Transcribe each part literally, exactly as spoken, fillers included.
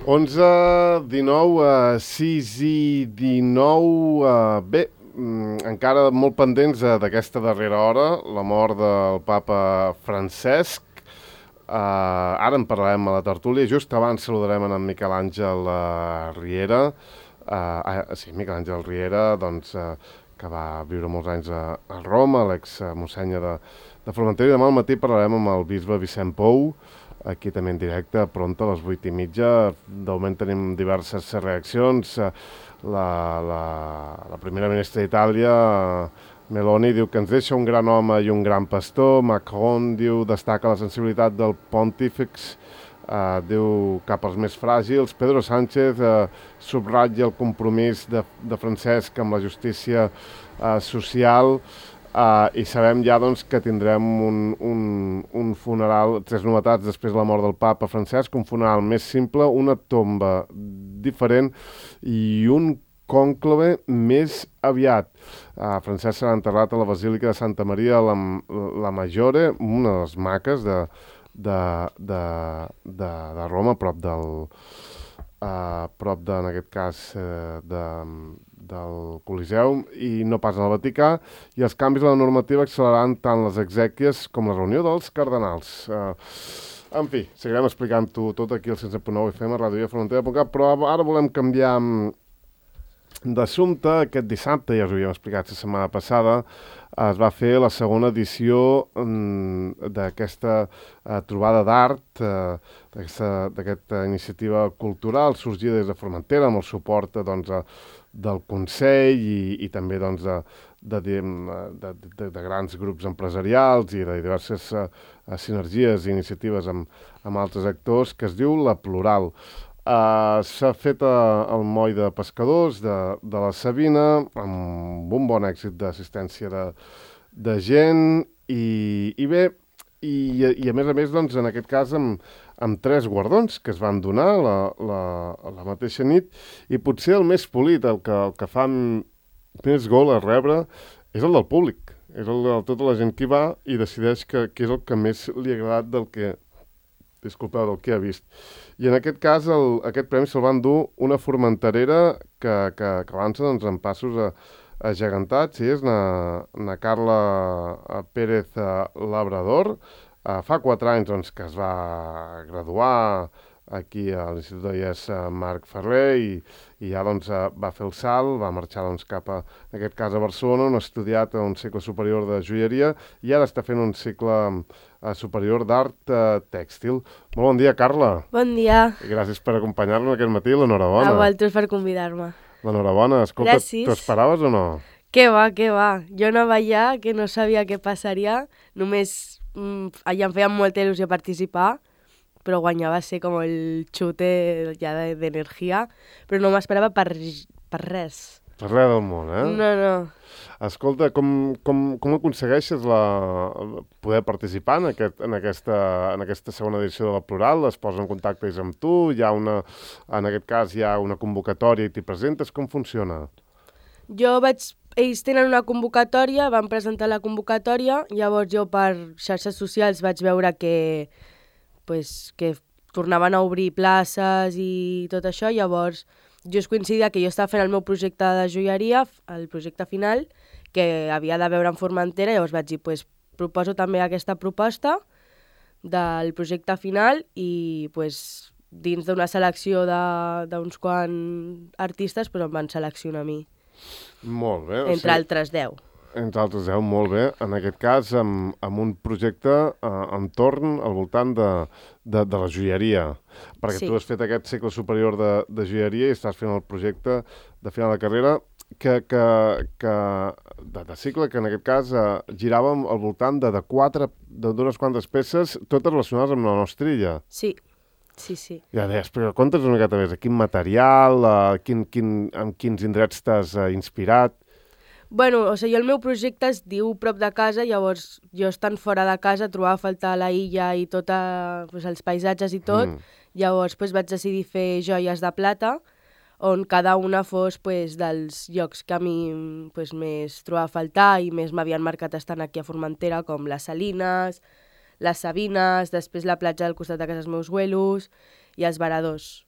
onze, dinou, uh, sis i dinou... Uh, bé, mm, encara molt pendents uh, d'aquesta darrera hora, la mort del papa Francesc. Uh, ara en parlarem a la tertúlia. Just abans saludarem en Miquel Àngel uh, Riera. Uh, uh, sí, Miquel Àngel Riera, doncs, uh, que va viure molts anys a, a Roma, l'ex-mossenya de, de Formentera. I demà al matí parlarem amb el bisbe Vicent Pou, aquí també en directe, pronta a les vuit i mitja. De moment tenim diverses reaccions. La, la, la primera ministra d'Itàlia, Meloni, diu que ens deixa un gran home i un gran pastor. Macron diu destaca la sensibilitat del pontífex, uh, diu cap als més fràgils. Pedro Sánchez uh, subratlla el compromís de, de Francesc amb la justícia uh, social. Uh, I sabem ja doncs, que tindrem un, un, un funeral, tres novetats després de la mort del papa Francesc, un funeral més simple, una tomba diferent i un cònclave més aviat. Uh, Francesc serà enterrat a la Basílica de Santa Maria la, la Maggiore, una de les maques de, de, de, de, de Roma, prop del, uh, prop de, en aquest cas, uh, de, del Coliseu, i no pas al Vaticà, i els canvis a la normativa acceleraran tant les exèquies com la reunió dels cardenals. Uh, en fi, seguirem explicant-ho tot aquí al cent set punt nou F M, ràdio i frontera punt cat, però ara volem canviar d'assumpte. Aquest dissabte, ja us ho havíem explicat la setmana passada, es va fer la segona edició mm, d'aquesta uh, trobada d'art, uh, d'aquesta iniciativa cultural sorgida des de Formentera, amb el suport doncs, uh, del Consell i, i també doncs, de, de, de, de, de grans grups empresarials i de diverses uh, sinergies i iniciatives amb, amb altres actors, que es diu La Plural. Uh, s'ha fet uh, el moll de pescadors de, de la Sabina, amb un bon èxit d'assistència de, de gent, i, i bé, i, i a més a més, doncs, en aquest cas, amb, amb tres guardons que es van donar la, la, la mateixa nit, i potser el més polit, el que, el que fa més gol a rebre, és el del públic, és el de tota la gent que hi va i decideix que, que és el que més li ha agradat del que, disculpeu, del que ha vist. I en aquest cas, el, aquest premi se'l van dur una formenterera que, que, que avança doncs, en passos a, agegantats, i és na, na Carla Pérez Labrador. Uh, fa quatre anys doncs, que es va graduar aquí a l'Institut de I E S Marc Ferrer, i, i ja doncs, va fer el salt, va marxar doncs, cap a, en aquest cas a Barcelona, on ha estudiat un cicle superior de joieria, i ara està fent un cicle uh, superior d'art uh, tèxtil. Molt bon dia, Carla. Bon dia. I gràcies per acompanyar-nos aquest matí, l'enhorabona. A vosaltres per convidar-me. L'enhorabona. Escolta, gràcies. T'ho esperaves o no? Què va, què va. Jo anava allà, que no sabia què passaria, només mm, allà em feia molta il·lusió participar, però guanyava ser com el xute ja d'energia, però no m'esperava per, per res. Per res del món, eh? No, no. Escolta, com, com, com aconsegueixes la, poder participar en, aquest, en, aquesta, en aquesta segona edició de La Plural? Es posa en contacte ells amb tu? Hi ha una, en aquest cas hi ha una convocatòria i t'hi presentes? Com funciona? Jo vaig... Ells tenen una convocatòria, van presentar la convocatòria, llavors jo per xarxes socials vaig veure que, pues, que tornaven a obrir places i tot això, llavors just coincidia que jo estava fent el meu projecte de joieria, el projecte final, que havia de veure en Formentera, llavors vaig dir, pues, proposo també aquesta proposta del projecte final i pues, dins d'una selecció d'uns quants artistes pues, em van seleccionar a mi. Molt bé. Entre o sigui, altres deu. Entre altres deu, molt bé. En aquest cas, amb, amb un projecte eh, entorn al voltant de, de, de la joieria. Perquè sí. Tu has fet aquest cicle superior de, de joieria i estàs fent el projecte de final de carrera que, que, que, de, de cicle que en aquest cas eh, giràvem al voltant de, de quatre, d'unes quantes peces, totes relacionades amb la nostra illa. Sí. Sí, sí. Ja deies, però conta's una miqueta més, quin material, uh, quin, quin, amb quins indrets t'has uh, inspirat? Bueno, o sigui, el meu projecte es diu Prop de casa, llavors jo estant fora de casa trobava a faltar la illa i tot pues, els paisatges i tot, mm. llavors pues, vaig decidir fer joies de plata, on cada una fos pues, dels llocs que a mi pues, més trobava a faltar i més m'havien marcat estant aquí a Formentera, com les Salines, les Sabines, després la platja del costat de casa dels meus abuelos i els Varadors.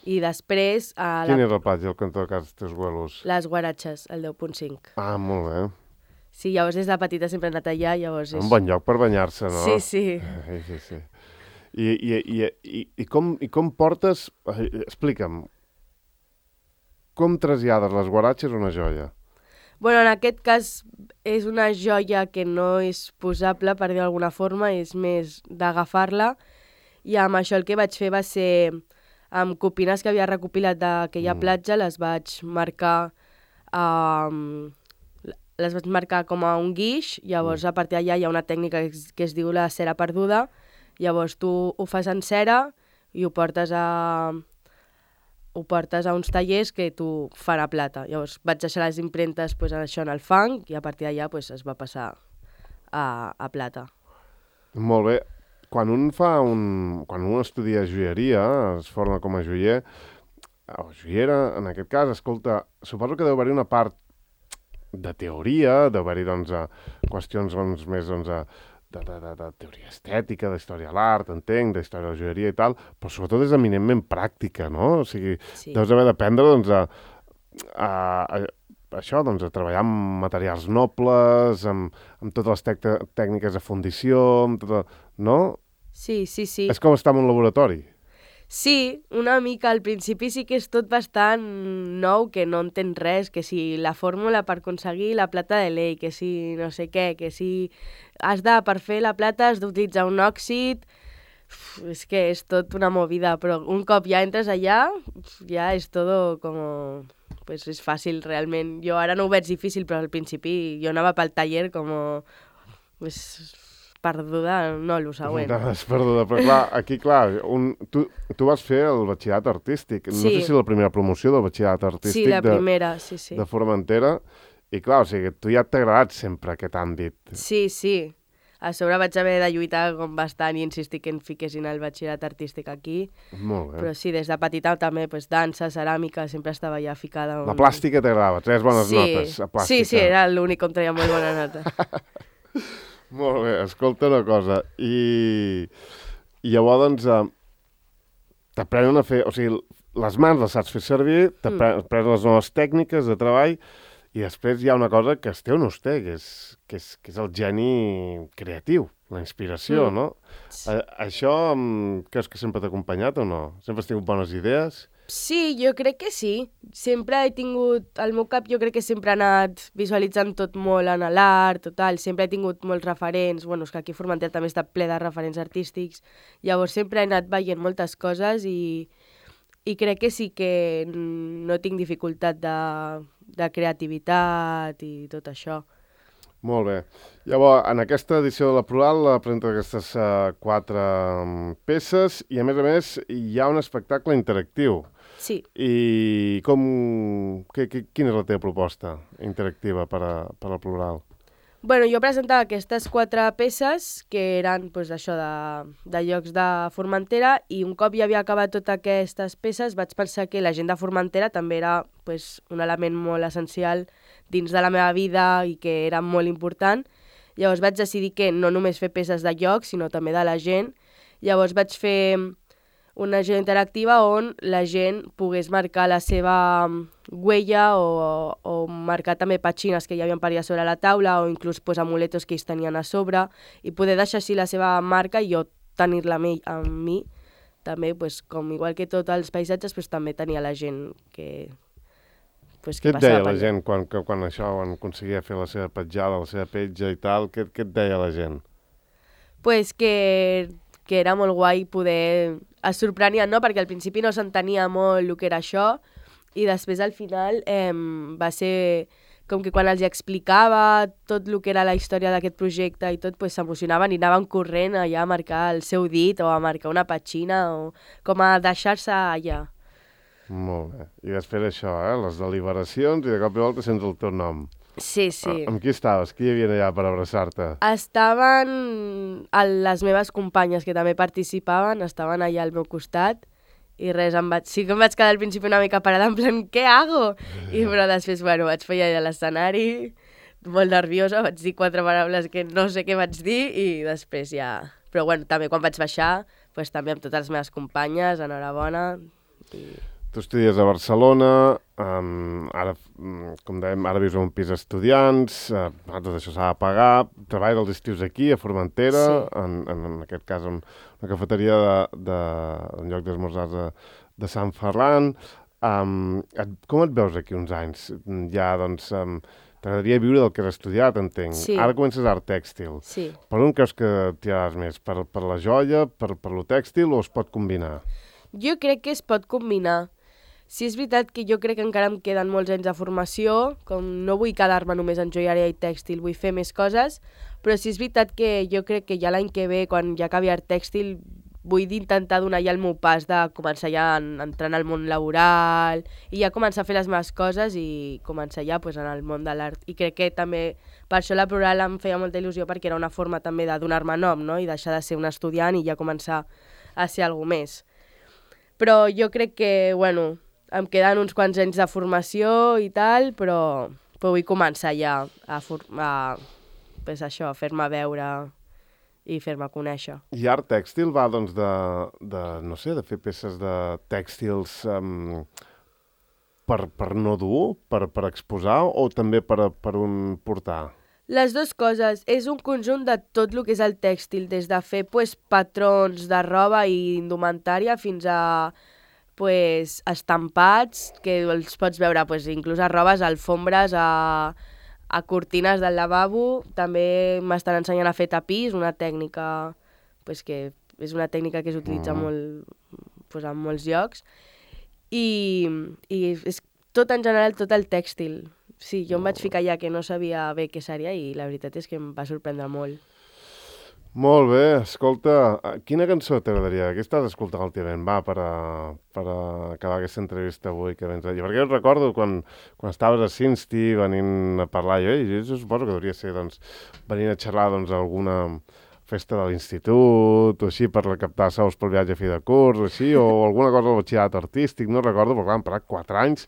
I després... A Quin la... és el plat i el cantó de casa teus abuelos? Les guaratxes, el deu punt cinc. Ah, molt bé. Sí, llavors des de petita sempre he anat allà, llavors és... Un bon lloc per banyar-se, no? Sí, sí. Sí, sí, sí. I, i, i, i, i, com, I com portes... Explica'm. Com trasllades les guaratxes a una joia? Bueno, en aquest cas és una joia que no és posable, per dir d'alguna forma, és més d'agafar-la. I amb això el que vaig fer va ser, amb copines que havia recopilat d'aquella mm. platja, les vaig marcar um, les vaig marcar com a un guix, llavors mm. a partir d'allà hi ha una tècnica que es, que es diu la cera perduda, llavors tu ho fas en cera i ho portes a, ho portes a uns tallers que tu fan a plata. Llavors vaig deixar les impremtes pues, això en el fang i a partir d'allà pues, es va passar a, a plata. Molt bé. Quan un fa un... Quan un estudia joieria, es forma com a joier, o joiera, en aquest cas, escolta, suposo que deu haver-hi una part de teoria, deu haver-hi, doncs, qüestions doncs, més, doncs, de, de, de, de teoria estètica, d'història de l'art, entenc, d'història de la joieria i tal, però sobretot és eminentment pràctica, no? O sigui, sí. Deus haver d'aprendre, doncs, a, a, a això, doncs, a treballar amb materials nobles, amb, amb totes les tec tècniques de fundició, amb tota... no? Sí, sí, sí. És com estar en un laboratori. Sí, una mica. Al principi sí que és tot bastant nou, que no entens res, que si la fórmula per aconseguir la plata de Ley, que si no sé què, que si has de, per fer la plata has d'utilitzar un òxid... Uf, és que és tot una movida, però un cop ja entres allà, ja és tot com... Pues és fàcil, realment. Jo ara no ho veig difícil, però al principi jo anava pel taller com... Pues, perduda, no, el següent. Anaves perduda, però clar, aquí, clar, un, tu, tu vas fer el batxillerat artístic. No sí. sé si la primera promoció del batxillerat artístic sí, la de, primera, sí, sí. de Formentera, i clar, o sigui, tu ja t'ha agradat sempre aquest àmbit. Sí, sí. A sobre vaig haver de lluitar com bastant i insistir que em fiquessin el batxillerat artístic aquí. Molt bé. Però sí, des de petita també, pues, dansa, ceràmica, sempre estava ja ficada. On... La plàstica t'agradava, tres bones sí. notes a plàstica. Sí, sí, era l'únic on treia molt bona nota. Molt bé, escolta una cosa. I, i llavors, doncs, eh, t'aprenen a fer... O sigui, les mans les saps fer servir, t'aprenen mm. les noves tècniques de treball, i després hi ha una cosa que es té o no es té, que és, que és, que és el geni creatiu, la inspiració, mm. no? Sí. A, això creus que sempre t'ha acompanyat o no? Sempre has tingut bones idees? Sí, jo crec que sí. Sempre he tingut... Al meu cap jo crec que sempre he anat visualitzant tot molt en l'art, total. Sempre he tingut molts referents. Bueno, és que aquí a Formentera també està ple de referents artístics. Llavors sempre he anat veient moltes coses i, i crec que sí que no tinc dificultat de, de creativitat i tot això. Molt bé. Llavors, en aquesta edició de la Plural presenta aquestes uh, quatre um, peces i, a més a més, hi ha un espectacle interactiu. Sí. I com... Que, que, quina és la teva proposta interactiva per a, per a la Plural? Bueno, jo presentava aquestes quatre peces que eren pues, això de, de llocs de Formentera i un cop ja havia acabat totes aquestes peces vaig pensar que la gent de Formentera també era pues, un element molt essencial dins de la meva vida i que era molt important. Llavors vaig decidir que no només fer peces de llocs, sinó també de la gent. Llavors vaig fer una gent interactiva on la gent pogués marcar la seva huella o, o marcar també petxines que hi havia per allà sobre la taula o inclús pues, amuletos que ells tenien a sobre i poder deixar així la seva marca i jo tenir-la amb mi. També, pues, com igual que tots els paisatges, pues, també tenia la gent que... Pues, què et deia la gent quan, quan això, quan aconseguia fer la seva petjada, la seva petja i tal? Què, què et deia la gent? Pues que, que era molt guai poder... Es sorprenien, no? Perquè al principi no s'entenia molt el que era això i després al final eh, va ser com que quan els explicava tot el que era la història d'aquest projecte i tot, pues, s'emocionaven i anaven corrent allà a marcar el seu dit o a marcar una petxina o com a deixar-se allà. Molt bé. I després això, eh? Les deliberacions i de cop i volta sents el teu nom. Sí, sí. Amb qui estaves? Qui hi havia allà per abraçar-te? Estaven les meves companyes que també participaven, estaven allà al meu costat i res, em vaig... sí que em vaig quedar al principi una mica parada en plan, què hago? I però després, bueno, vaig fer allà a l'escenari, molt nerviosa, vaig dir quatre paraules que no sé què vaig dir i després ja... Però bueno, també quan vaig baixar, pues, també amb totes les meves companyes, enhorabona. I... tu estudies a Barcelona, um, ara, com dèiem, ara vius en un pis d'estudiants, uh, tot això s'ha de pagar, treballes els estius aquí, a Formentera, sí. en, en, en aquest cas en una cafeteria de, de, en lloc d'esmorzars de, de Sant Ferran. Um, et, com et veus aquí uns anys? Ja, doncs, um, t'agradaria viure del que has estudiat, entenc. Sí. Ara comences art tèxtil. Sí. Per on creus que tiraràs més? Per, per la joia, per, per lo tèxtil, o es pot combinar? Jo crec que es pot combinar. Sí, és veritat que jo crec que encara em queden molts anys de formació, com no vull quedar-me només en joieria i tèxtil, vull fer més coses, però sí és veritat que jo crec que ja l'any que ve, quan ja acabi art tèxtil, vull intentar donar ja el meu pas de començar ja a entrar en el món laboral i ja començar a fer les meves coses i començar ja pues, en el món de l'art. I crec que també per això la Plural em feia molta il·lusió perquè era una forma també de donar-me nom, no? I deixar de ser un estudiant i ja començar a ser alguna més. Però jo crec que, bueno, em queden uns quants anys de formació i tal, però, però vull començar ja a, a, pues això, a fer-me veure i fer-me conèixer. I art tèxtil va, doncs, de, de, no sé, de fer peces de tèxtils um, per, per no dur, per, per exposar, o també per, per un portar? Les dues coses. És un conjunt de tot el que és el tèxtil, des de fer pues, patrons de roba i indumentària fins a pues, estampats, que els pots veure pues, inclús a robes, a alfombres, a, a cortines del lavabo. També m'estan ensenyant a fer tapís, una tècnica pues, que és una tècnica que s'utilitza mm. molt, pues, en molts llocs. I, i és tot en general, tot el tèxtil. Sí, jo em vaig ficar ja que no sabia bé què seria i la veritat és que em va sorprendre molt. Molt bé, escolta, quina cançó t'agradaria? Què estàs escoltant últimament? Va, per, a, per a acabar aquesta entrevista avui que vens allà. Perquè jo recordo quan, quan estaves a Cinsti venint a parlar, jo, jo suposo que hauria ser doncs, venint a xerrar doncs, a alguna festa de l'institut o així per recaptar sous pel viatge a fi de curs o així, o alguna cosa del batxillerat artístic, no recordo, però clar, han parat quatre anys.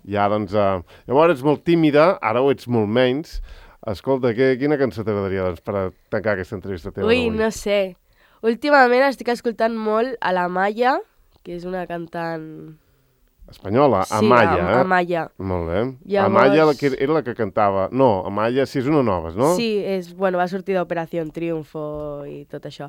Ja, doncs, eh, llavors ets molt tímida, ara ho ets molt menys. Escolta, que, quina cançó t'agradaria doncs, per a tancar aquesta entrevista teva? Ui, no sé. Últimament estic escoltant molt a la Maya, que és una cantant... Espanyola? Sí, Amaya, a, eh? Amaya. Molt bé. Llavors... Amaya la que era la que cantava... No, Amaya sí és una nova, no? Sí, és, bueno, va sortir d'Operació Triunfo i tot això.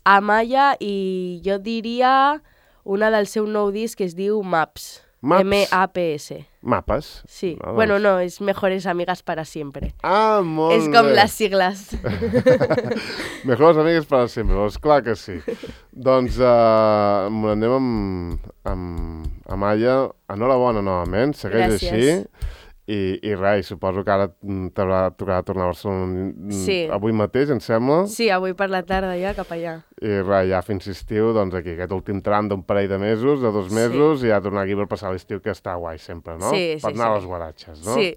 Amaya i jo diria una del seu nou disc que es diu Maps. Maps? M A P S. Mapes? Sí. Ah, doncs. Bueno, no, és Mejores Amigas para Siempre. Ah, molt és com bé. les sigles. Mejores Amigas para Siempre, doncs clar que sí. Doncs uh, anem amb, amb Amaya. Enhorabona novament, segueix Gràcies. així. I, i res, suposo que ara t'haurà tocat tornar a Barcelona sí. avui mateix, em sembla. Sí, avui per la tarda ja, cap allà. I res, ja fins estiu, doncs aquí, aquest últim tram d'un parell de mesos, de dos mesos, sí. i ja tornar aquí per passar l'estiu, que està guai sempre, no? Sí, per sí, anar sí. a les guaratxes, no? Sí.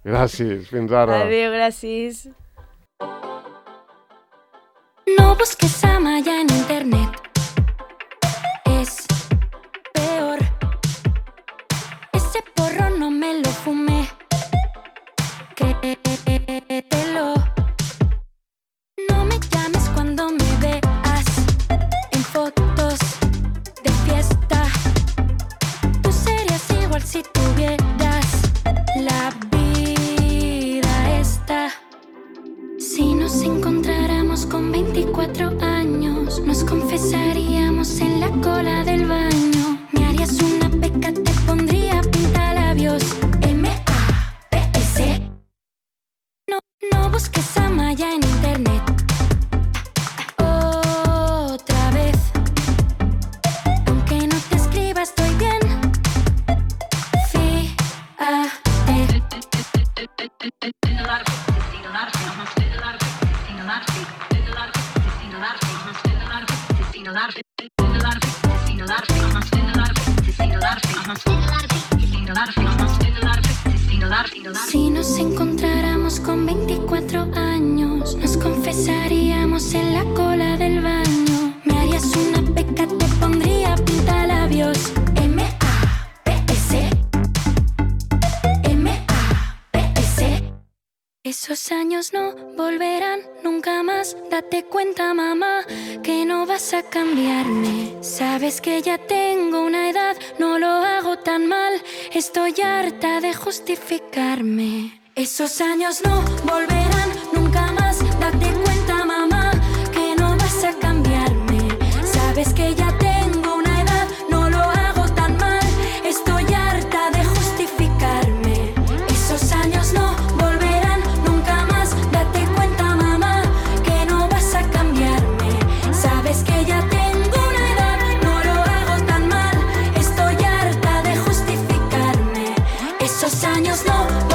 Gràcies, fins ara. Adéu, gràcies. No busques a Maya en internet. Es peor. Ese porro no me lo fumé. Créetelo. No me llames cuando me veas en fotos de fiesta. Tú serías igual si tuvieras la vida esta. Si nos encontráramos con veinticuatro años, nos confesaríamos en la cola del baño. Me harías una peca, te pondría pintalabios. M A P S. No, no busques a Maya en internet. Otra vez. Aunque no te escriba, estoy bien. Fíjate. Si nos encontráramos con veinticuatro años, nos confesaríamos en la cola del baño. Me harías una peca, te pondría pintalabios. M A P S. M A P S. Esos años no volverán nunca más. Date cuenta, mamá, que no vas a cambiarme. Sabes que ya tengo una edad, no lo tan mal. Estoy harta de justificarme. Esos años no volverán nunca más. Date cuenta, mamá, que no vas a cambiarme. Sabes que ya tengo una edad, no lo hago tan mal. Estoy harta de justificarme. Esos años no volverán nunca más. Date cuenta, mamá, que no vas a cambiarme. Sabes que ya tengo una edad, no lo hago tan mal. Estoy harta de justificarme. Esos años no